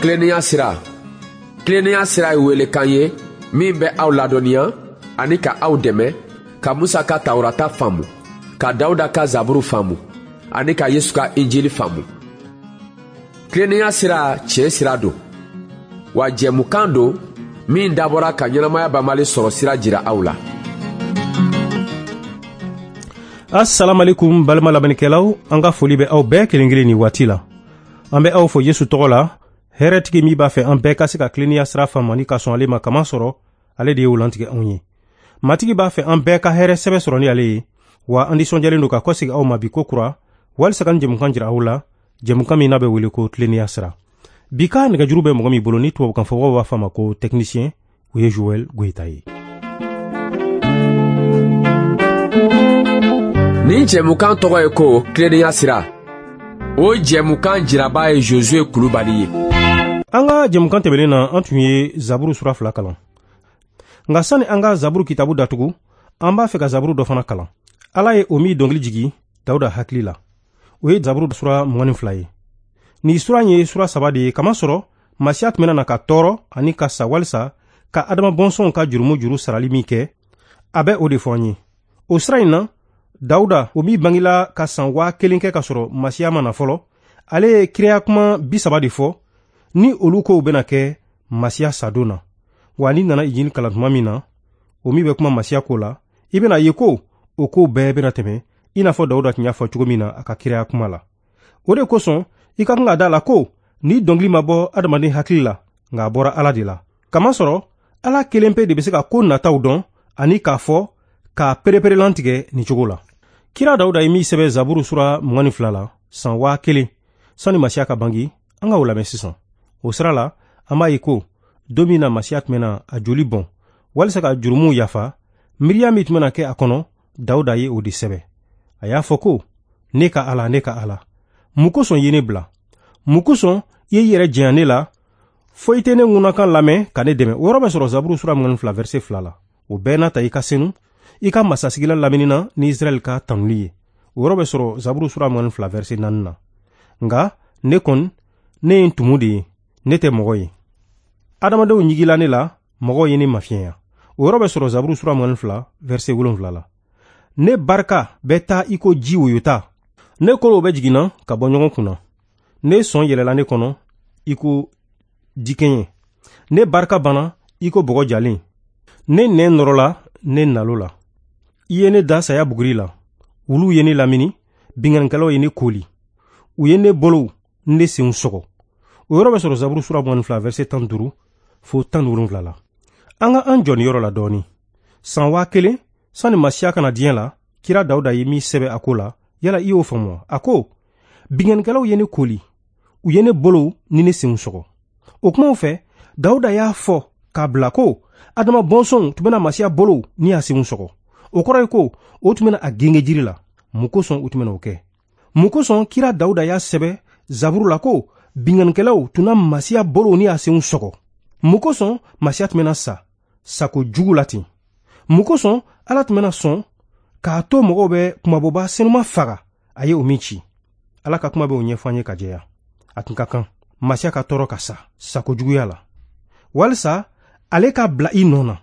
Tilennenya sira. Tilennenya sira ye welekan ye min bɛ aw ladɔnniya ani ka aw dɛmɛ ka Musa ka Tawurata faamu, ka Dawuda ka Zaburu faamu ani ka Yesu ka Injili faamu. Tilennenya sira tiɲɛ sira don, wa jɛmukan don min dabɔra ka ɲɛnamaya banbali sɔrɔ sira jira aw la. Assalamu alaikum, balima lamɛnnikɛlaw, an ka foli bɛ aw bɛɛ kelen kelen nin waati la. An bɛ aw fo Yesu tɔgɔ la, hɛrɛtigi min b'a fɛ an bɛɛ ka se ka tilennenya sira faamu ani ka sɔn ale ma, kama sɔrɔ ale de ye o lantigɛ anw ye. Matigi b'a fɛ an bɛɛ ka hɛrɛ sɛbɛ sɔrɔ ni ale ye, wa an nisɔndiyalen don ka kɔsegi aw ma bi ko kura walisa ka nin jɛmukan jira aw la, jɛmukan min n'a bɛ wele ko tilennenya sira. Bi ka nɛgɛjuru bɛ mɔgɔ min bolo, ni tubabukan fɔbagaw b'a fɔ a ma ko technicien, o ye Joël Goyita ye. Nin jɛmukan tɔgɔ ye ko tilennenya sira. O jɛmukan jiraba ye Josue Kulubali ye. An ka jɛmukan tɛmɛnen na, an tun ye Zaburu sura 2 kalan. Nka sani an ka Zaburu kitabu datugu, an b'a fɛ ka Zaburu dɔ fana kalan. Ala ye o min dɔnkili jigi Dawuda hakili la, o ye Zaburu sura 22 ye. Nin sura in ye sura 3 de ye, kamasɔrɔ Masiya tun bɛna na ka tɔɔrɔ ani ka sa walisa ka Adama bɔnsɔnw ka jurumu juru sarali min kɛ, a bɛ o de fɔ an ye. O sira in na, Dawuda, o min bangela ka san 1000 kɛ ka sɔrɔ Masiya ma na fɔlɔ, ale ye kiraya kuma 30 de fɔ ni olu kow bɛna kɛ Masiya sadon na. Wa n'i nana Injili kalan tuma min na, o min bɛ kuma Masiya ko la, i bɛna ye ko o kow bɛɛ bɛna tɛmɛ i n'a fɔ Dawuda tun y'a fɔ cogo min na a ka kiraya kuma la. O de kosɔn i ka kan ka da la ko ni dɔnkili ma bɔ adamaden hakili la, nka a bɔra Ala de la. Kamasɔrɔ Ala kelen pe de bɛ se ka ko nataw dɔn ani k'a fɔ k'a pereperelantigɛ nin cogo la. Kira Dawuda ye min sɛbɛn Zaburu sura 22 la san 1000 sani Masiya ka bange, an ka o lamɛn sisan. O sira la, an b'a ye ko don min na Masiya tun bɛna a joli bɔn walisa ka jurumuw yafa, miiriya min tun bɛna kɛ a kɔnɔ, Dawuda ye o de sɛbɛn. A y'a fɔ ko: ne ka Ala, ne ka Ala, mun kosɔn i ye ne bila? Mun kosɔn i ye i yɛrɛ janya ne la fo i tɛ ne ŋunakan lamɛn ka ne dɛmɛ? O yɔrɔ bɛ sɔrɔ Zaburu sura 22 verset 2 la. O bɛɛ n'a ta, i ka senu, i ka masasigilan lamini na ni Israɛl ka tanuli ye. O yɔrɔ bɛ sɔrɔ Zaburu sura 22 verset 4 na. Nka ne kɔni, ne ye ntumu de ye, ne tɛ mɔgɔ ye. Adamadenw ɲigila ne la, mɔgɔw ye ne mafiɲɛya. O yɔrɔ bɛ sɔrɔ Zaburu sura 22 verset 7 la. Ne barika bɛ taa i ko ji woyota. Ne kolow bɛ jiginna ka bɔ ɲɔgɔn kunna. Ne sɔn yɛlɛla ne kɔnɔ i ko dikɛɲɛ. Ne barika banna i ko bɔgɔ jalen. Ne nɛn nɔrɔla ne nalo la. I ye ne da saya buguri la. Wuluw ye ne lamini, binkannikɛlaw ye ne koli. U ye ne bolow ni ne senw sɔgɔ. O yɔrɔ bɛ sɔrɔ Zaburu sura 22 verset 15 fo 17 la. An ka an jɔ nin yɔrɔ la dɔɔni. San 1000 sani Masiya ka na diɲɛ la, kira Dawuda ye min sɛbɛn a ko la, yala i y'o faamu wa? A ko: binkannikɛlaw ye ne koli, u ye ne bolow ni ne senw sɔgɔ. O kumaw fɛ, Dawuda y'a fɔ k'a bila ko Adama bɔnsɔnw tun bɛna Masiya bolow ni a senw sɔgɔ. O kɔrɔ ye ko o tun bɛna a genge jiri la. Mun kosɔn u tun bɛna o kɛ? Mun kosɔn kira Dawuda y'a sɛbɛn Zaburu la ko binkannikɛlaw tun na Masiya bolow ni a senw sɔgɔ? Mun kosɔn Masiya tun bɛna sa sako jugu la ten? Mun kosɔn Ala tun bɛna sɔn k'a to mɔgɔw bɛ kumabɔba senuma faga a ye o min ci? Ala ka kuma bɛ o ɲɛfɔ an ye ka jɛya. A tun ka kan Masiya ka tɔɔrɔ ka sa sako juguya la, walisa ale ka bila i nɔ na.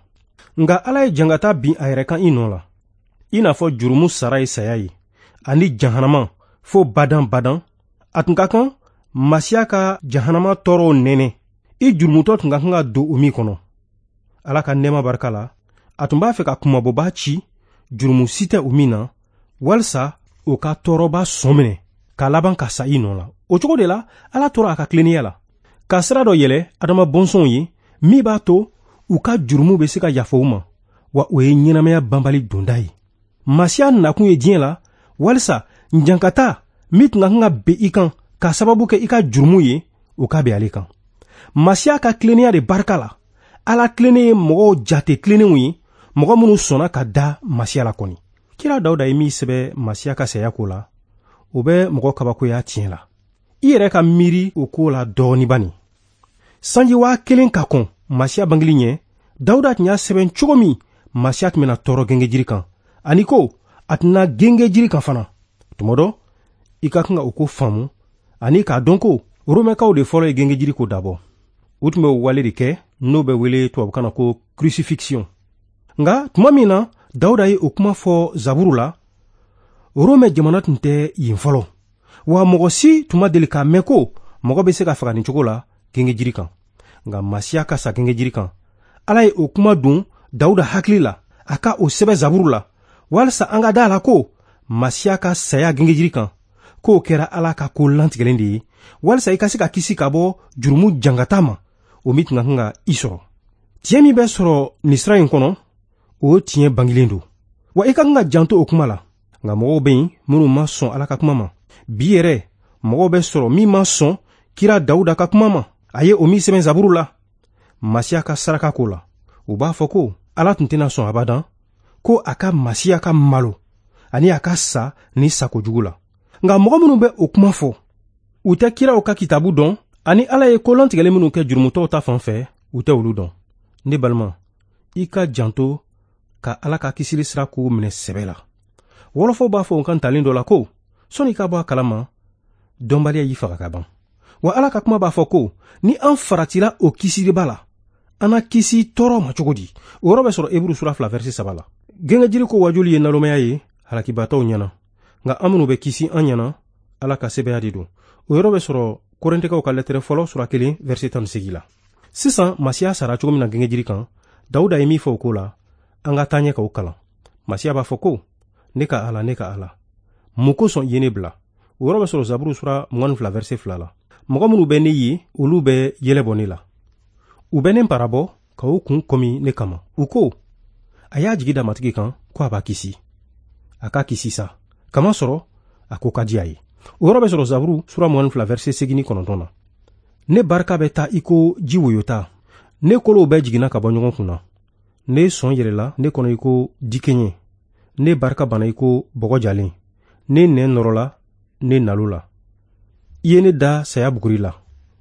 Nka Ala ye jangata bin a yɛrɛ kan i nɔ la, i n'a fɔ jurumu sara ye saya ye ani jahanama fo badan badan. A tun ka kan Masiya ka jahanama tɔɔrɔw nɛnɛ, i jurumutɔ tun ka kan ka don o min kɔnɔ. Ala ka nɛɛma barika la, a tun b'a fɛ ka kumabɔba ci jurumu si tɛ o min na, walisa o ka tɔɔrɔba sɔn minɛ k'a laban ka sa i nɔ la. O cogo de la, Ala tora a ka tilennenya la ka sira dɔ yɛlɛ Adama bɔnsɔnw ye min b'a to u ka jurumu bɛ se ka yafa u ma, wa o ye ɲɛnamaya banbali donda ye. Masiya nakun ye diɲɛ la walisa jankata min tun ka kan ka bin i kan k'a sababu kɛ i ka jurumu ye, o ka bin ale kan. Masiya ka tilennenya de barika la, Ala tilennen ye mɔgɔw jate tilennenw ye, mɔgɔ minnu sɔnna ka da Masiya la kɔni. Kira Dawuda ye min sɛbɛn Masiya ka saya ko la, o bɛ mɔgɔ kabakoya tiɲɛ la. I yɛrɛ ka miiri o ko la dɔɔni bani. Sanji 1000 ka kɔn Masiya bangeli ɲɛ, Dawuda tun y'a sɛbɛn cogo min Masiya tun bɛna tɔɔrɔ gengejiri kan, ani ko a tɛna gengejiri kan fana. Tuma dɔ, i ka kan ka o ko faamu ani k'a dɔn ko Romɛkaw de fɔlɔ ye gengejiri ko dabɔ. U tun bɛ o wale de kɛ n'o bɛ wele tubabukan na ko crucifixion. Nka tuma min na Dawuda ye o kuma fɔ Zaburu la, Romɛ jamana tun tɛ yen fɔlɔ. Wa mɔgɔ si tun ma deli k'a mɛn ko mɔgɔ bɛ se ka faga nin cogo la gengejiri kan. Nka Masiya ka sa gengejiri kan, Ala ye o kuma don Dawuda hakili la, a ka o sɛbɛn Zaburu la, walisa an ka da a la ko Masiya ka saya gengejiri kan, k'o kɛra Ala ka ko lantigɛlen de ye, walisa i ka se ka kisi ka bɔ jurumu jangata ma, o min tun ka kan ka i sɔrɔ. Tiɲɛ min bɛ sɔrɔ nin sira in kɔnɔ, o tiɲɛ bangilen don. Wa i ka kan ka janto o kuma la. Nka mɔgɔw bɛ yen minnu ma sɔn Ala ka kuma ma. Bi yɛrɛ, mɔgɔw bɛ sɔrɔ min ma sɔn kira Dawuda ka kuma ma. A ye o min sɛbɛn Zaburu la, Masiya ka saraka ko la. U b'a fɔ ko Ala tun tɛna sɔn abadan ko a ka Masiya ka malo ani a ka sa ni sakojugu la. Nka mɔgɔ minnu bɛ o kuma fɔ, u tɛ kiraw ka kitabu dɔn ani Ala ye ko lantigɛlen minnu kɛ jurumutɔw ta fan fɛ, u tɛ olu dɔn. Ne balima, i ka janto ka Ala ka kisili sira kow minɛ sɛbɛ la. Wɔlɔfɔw b'a fɔ u kan talen dɔ la ko sɔnni i ka bɔ a kalama, dɔnbaliya y'i faga ka ban. Wa Ala ka kuma b'a fɔ ko ni an faratila o kisiliba la, an na kisi tɔɔrɔ ma cogo di? O yɔrɔ bɛ sɔrɔ Eburu sura 2 verset 3 la. Gengejiri ko wajuli ye nalomaya ye halakibatɔw ɲɛna, nka an minnu bɛ kisi an ɲɛna, Ala ka sɛbɛya de don. O yɔrɔ bɛ sɔrɔ Korintikaw ka lɛtɛrɛ fɔlɔ sura 1 verset 18 la. Sisan Masiya sara cogo min na gengejiri kan, Dawuda ye min fɔ o ko la, an ka taa ɲɛ k'o kalan. Masiya b'a fɔ ko ne ka Ala, ne ka Ala, mun kosɔn i ye ne bila? O yɔrɔ bɛ sɔrɔ Zaburu sura 22 verset 2 la. Mɔgɔ minnu bɛ ne ye, olu bɛ yɛlɛ bɔ ne la. U bɛ ne parabɔ ka u kun kɔmi ne kama. U ko, a y'a jigi da Matigi kan ko a b'a kisi. A k'a kisi sa, kamasɔrɔ a ko ka di a ye. O yɔrɔ bɛ sɔrɔ Zaburu sura 22 verset 89 na. Ne barika bɛ taa i ko ji woyota. Ne kolow bɛɛ jiginna ka bɔ ɲɔgɔn kun na. Ne sɔn yɛlɛla ne kɔnɔ i ko dikenye. Ne barika banna i ko bɔgɔ jalen. Ne nɛn nɔrɔla ne nalo la. I ye ne da saya buguri la.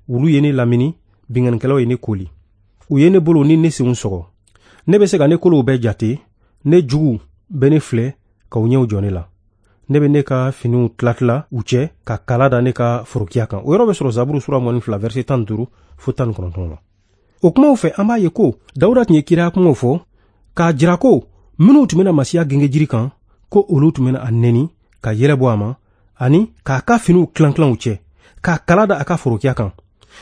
Wulu ye ne lamini, binkannikɛlaw ye ne koli. U ye ne bolo ni ne senw sɔgɔ. Ne bɛ se ka ne kolow bɛɛ jate. Ne jugu bɛ ne filɛ ka u ɲɛw jɔ ne la. Ne bɛ ne ka finiw tilatila u cɛ ka kala da ne ka forokiya kan. O yɔrɔ bɛ sɔrɔ Zaburu sura 22 verset 15 fo 19 la. O kumaw fɛ, an b'a ye ko Dawuda tun ye kiraya kumaw fɔ k'a jira ko minnu tun bɛna Masiya gengejiri kan, ko olu tun bɛna a nɛni ka yɛlɛ bɔ a ma ani k'a ka finiw tilan-tilan u cɛ, k'a kala da a ka forokiya kan.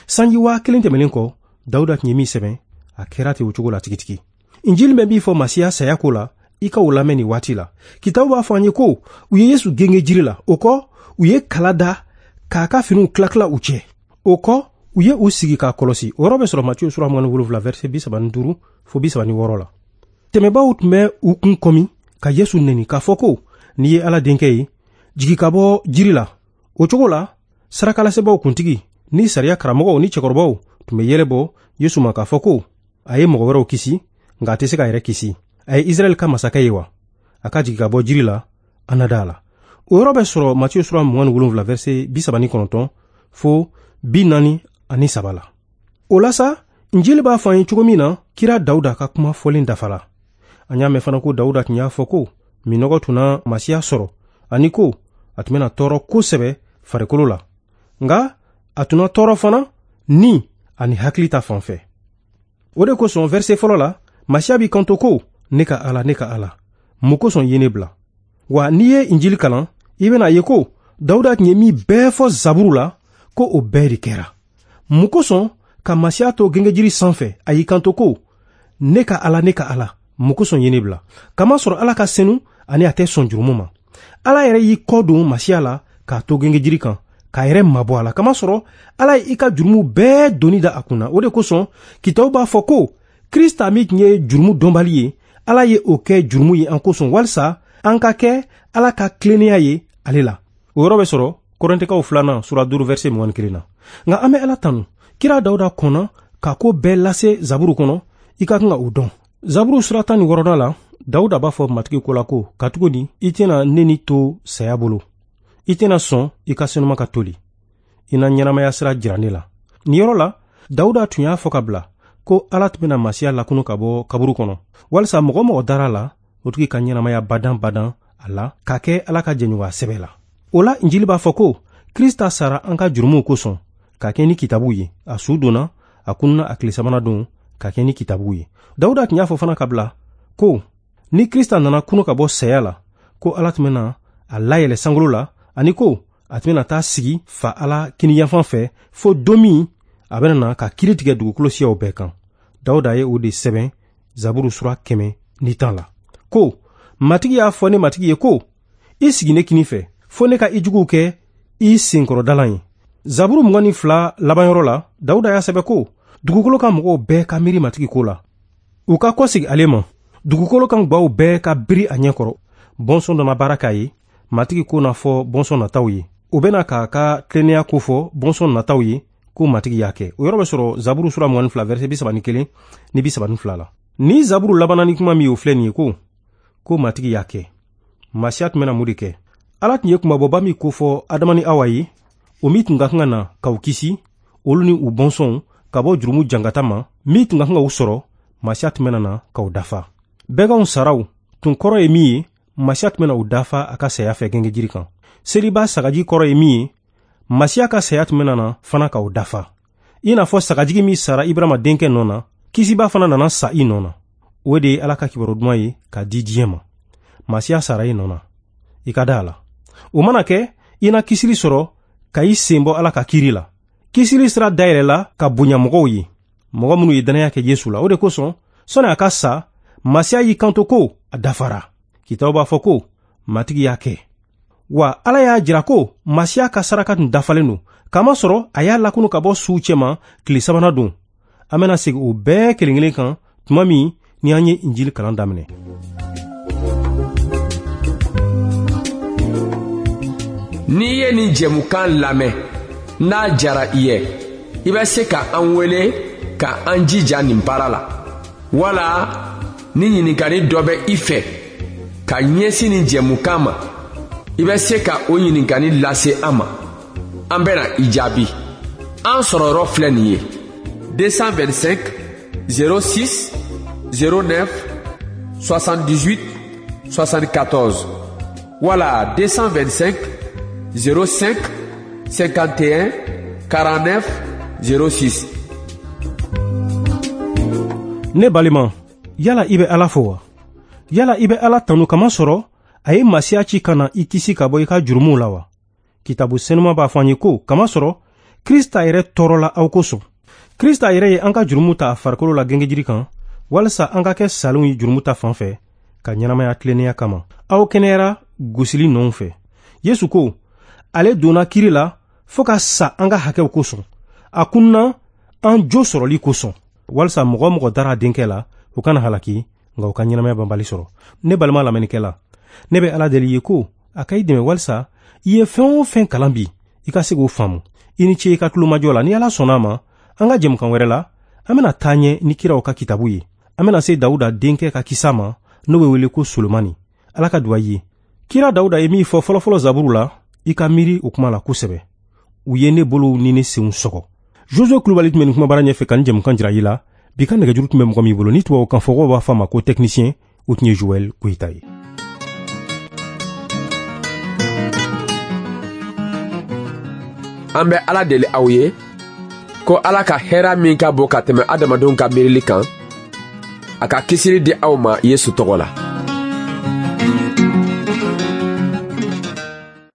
Sanji 1000 tɛmɛnen kɔ, Dawuda tun ye min sɛbɛn, a kɛra ten o cogo la tigitigi. Injili bɛ min fɔ Masiya saya ko la, i ka o lamɛn nin waati la. Kitabu b'a fɔ an ye ko u ye Yesu genge jiri la, o kɔ u ye kala da k'a ka finiw tila-tila u cɛ. O kɔ u ye u sigi k'a kɔlɔsi. O yɔrɔ bɛ sɔrɔ Matiyu sura 27 verset 35 fo 36 la. Tɛmɛbaaw tun bɛ u kun kɔmi ka Yesu nɛni k'a fɔ ko n'i ye Ala denkɛ ye, jigi ka bɔ jiri la. O cogo la, sarakalasebaaw kuntigi ni sariya karamɔgɔw ni cɛkɔrɔbaw tun bɛ yɛlɛ bɔ Yesu ma k'a fɔ ko a ye mɔgɔ wɛrɛw kisi, nka a tɛ se k'a yɛrɛ kisi. A ye Israɛl ka masakɛ ye wa? A ka jigi ka bɔ jiri la, an na da a la. O yɔrɔ bɛ sɔrɔ Matiyu sura 27 verset 39 fo 43 la. O la sa, Injili b'a fɔ an ye cogo min na, kira Dawuda ka kuma fɔlen dafala. An y'a mɛn fana ko Dawuda tun y'a fɔ ko minɔgɔ tun na Masiya sɔrɔ, ani ko a tun bɛna tɔɔrɔ kosɛbɛ farikolo la. Nka a tun na tɔɔrɔ fana ni ani hakili ta fan fɛ. O de kosɔn verset fɔlɔ la, Masiya b'i kanto ko ne ka Ala, ne ka Ala, mun kosɔn i ye ne bila? Wa n'i ye Injili kalan, i bɛna ye ko Dawuda tun ye min bɛɛ fɔ Zaburu la, ko o bɛɛ de kɛra. Mun kosɔn ka Masiya to gengejiri sanfɛ, a y'i kanto ko ne ka Ala, ne ka Ala, mun kosɔn i ye ne bila? Kamasɔrɔ Ala ka senu ani a tɛ sɔn jurumu ma. Ala yɛrɛ y'i kɔ don Masiya la k'a to gengejiri kan, k'a yɛrɛ mabɔ a la. Kamasɔrɔ Ala ye i ka jurumu bɛɛ doni da a kunna. O de kosɔn kitabu b'a fɔ ko Krista min tun ye jurumu dɔnbali ye, Ala ye o kɛ jurumu ye an kosɔn, walisa an ka kɛ Ala ka tilennenya ye ale la. O yɔrɔ bɛ sɔrɔ Korintikaw 2 sura 5 verset 21 na. Nka an bɛ Ala tanu. Kira Dawuda kɔnna ka ko bɛɛ lase Zaburu kɔnɔ, i ka kan ka o dɔn. Zaburu sura 16 la, Dawuda b'a fɔ Matigi ko la ko, katuguni i tɛna ne ni to saya bolo. I tɛna sɔn i ka senuma ka toli. I na ɲɛnamaya sira jira ne la. Nin yɔrɔ la, Dawuda tun y'a fɔ ka bila ko Ala tun bɛna Masiya lakunu ka bɔ kaburu kɔnɔ, walisa mɔgɔ mɔgɔ dara la, o tigi ka ɲɛnamaya badan badan a la, ka kɛ Ala ka jɛɲɔgɔnya sɛbɛ la. O la, Injili b'a fɔ ko Krista sara an ka jurumuw kosɔn, ka kɛ ni kitabu ye. A su donna, A kununa a tile sabanan don ka kɛ ni kitabuw ye. Dawuda tun y'a fɔ fana ka bila ko ni Krista nana kunu ka bɔ saya la, ko Ala tun bɛna a layɛlɛ sankolo la, ani ko a tun bɛna taa sigi fa Ala kiniyanfan fɛ fo don min a bɛna na ka kiri tigɛ dugukolo siyaw bɛɛ kan. Dawuda ye o de sɛbɛn Zaburu sura 110 la ko Matigi y'a fɔ ne Matigi ye ko i sigi ne kinin fɛ fo ne ka i juguw kɛ i senkɔrɔdalan ye. Zaburu 22 labanyɔrɔ la, Dawuda y'a sɛbɛn ko dugukolo kan mɔgɔw bɛɛ ka miiri Matigi ko la, u ka kɔsegi ale ma, dugukolo kan gwaw bɛɛ ka biri a ɲɛkɔrɔ. Bɔnsɔn dɔ na baara k'a ye, Matigi ko na fɔ bɔnsɔn nataw ye, o bɛna k'a ka tilennenya ko fɔ bɔnsɔn nataw ye ko Matigi y'a kɛ. O yɔrɔ bɛ sɔrɔ Zaburu sura 22 verset 31 ni 32 la. Ni Zaburu labanna ni kuma min ye, o filɛ nin ye ko Matigi y'a kɛ. Masiya tun bɛna mun de kɛ? Ala tun ye kunmabɔba min kofɔ Adama ni Awa ye, o min tun ka kan ka na k'u kisi, olu ni u bɔnsɔnw ka bɔ jurumu jangata ma, min tun ka kan ka u sɔrɔ, Masiya tun bɛna na k'u dafa. Bɛganw saraw tun kɔrɔ ye min ye, Masiya tun bɛna u dafa a ka saya fɛ gengejiri kan. Seliba sagaji kɔrɔ ye min ye, Masiya ka saya tun bɛna na fana k'u dafa. I n'a fɔ sagajigi min sara Ibrahima denkɛ nɔ na, kisiba fana nana sa i nɔ na. O de ye Ala ka kibaru duman ye k'a di diɲɛ ma. Masiya sara i nɔ na, i ka da a la. O mana kɛ, i na kisili sɔrɔ ka i sen bɔ Ala ka kiri la. Kisili sira dayɛlɛla ka bonya mɔgɔw ye, mɔgɔ minnu ye dannaya kɛ Yesu la. O de kosɔn, sɔnni a ka sa, Masiya y'i kanto ko a dafara. Kitabu b'a fɔ ko Matigi y'a kɛ. Wa Ala y'a jira ko Masiya ka saraka tun dafalen don, kamasɔrɔ a y'a lakunu ka bɔ suw cɛma tile sabanan don. An bɛna segin o bɛɛ kelen kelen kan tuma min ni an ye Injili kalan daminɛ. N'i ye nin jɛmukan lamɛn, n'a jara i ye, i bɛ se ka an wele ka an jija nin baara la. Wala ni ɲininkali dɔ bɛ i fɛ ka ɲɛsin nin jɛmukan ma, i bɛ se ka o ɲininkali lase an ma. An bɛna i jaabi. An sɔrɔyɔrɔ filɛ nin ye: 225 06 09 78 74 wala 225 05 51 49 06. Ne balima, yala i bɛ Ala fo wa? Yala i bɛ Ala tanu kamasɔrɔ a ye Masiya ci ka na i kisi ka bɔ i ka jurumuw la wa? Kitabu senuma b'a fɔ an ye ko kamasɔrɔ Krista yɛrɛ tɔɔrɔla aw kosɔn. Krista yɛrɛ ye an ka jurumu ta a farikolo la gengejiri kan, walasa an ka kɛ salenw ye jurumu ta fan fɛ, ka ɲɛnamaya tilennenya kama. Aw kɛnɛyara gosili nɔw fɛ. Yesu ko ale donna kiri la fo ka sa an ka hakɛw kosɔn. A kunna an jo sɔrɔli kosɔn, walasa mɔgɔ mɔgɔ dara a denkɛ la, o kana halaki, nka o ka ɲɛnamaya banbali sɔrɔ. Ne balima lamɛnnikɛla, ne bɛ Ala deli i ye ko a ka i dɛmɛ walasa i ye fɛn o fɛn kalan bi, i ka se k'o faamu. I ni ce i ka tulomajɔ la. Ni Ala sɔnna a ma, an ka jɛmukan wɛrɛ la, an bɛna taa ɲɛ ni kiraw ka kitabu ye. An bɛna se Dawuda denkɛ ka kisa ma, n'o bɛ wele ko Solomani. Ala ka duwa i ye. Kira Dawuda ye min fɔ fɔlɔfɔlɔ Zaburu la, i ka miiri o kuma la kosɛbɛ. U ye ne bolow ni ne senw sɔgɔ. Josué Kulubali tun bɛ nin kumabara ɲɛfɛ ka nin jɛmukan jira i la. Bi ka nɛgɛjuru tun bɛ mɔgɔ min bolo, ni tubabukan fɔkɔw b'a fɔ a ma ko technicien, o tun ye Joël Koyita ye. An bɛ Ala deli aw ye ko Ala ka hɛrɛ min ka bon ka tɛmɛ adamadenw ka miirili kan, a ka kisili di aw ma Yesu tɔgɔ la.